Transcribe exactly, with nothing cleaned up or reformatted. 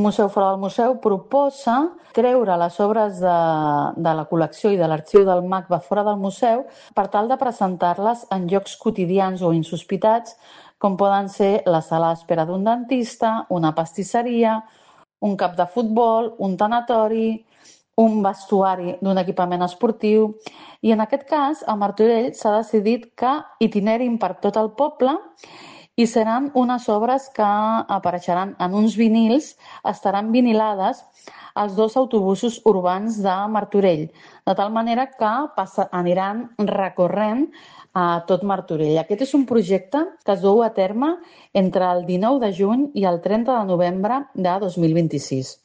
museu fora del museu proposa treure les obres de, de la col·lecció i de l'arxiu del M A C B A fora del museu per tal de presentar-les en llocs quotidians o insospitats, com poden ser la sala d'espera d'un dentista, una pastisseria, un camp de futbol, un tanatori, un vestuari d'un equipament esportiu. I en aquest cas, a Martorell s'ha decidit que itinerin per tot el poble i seran unes obres que apareixeran en uns vinils, estaran vinilades als dos autobusos urbans de Martorell, de tal manera que passa, aniran recorrent a tot Martorell. Aquest és un projecte que es duu a terme entre el dinou de juny i el trenta de novembre de dos mil vint-i-sis.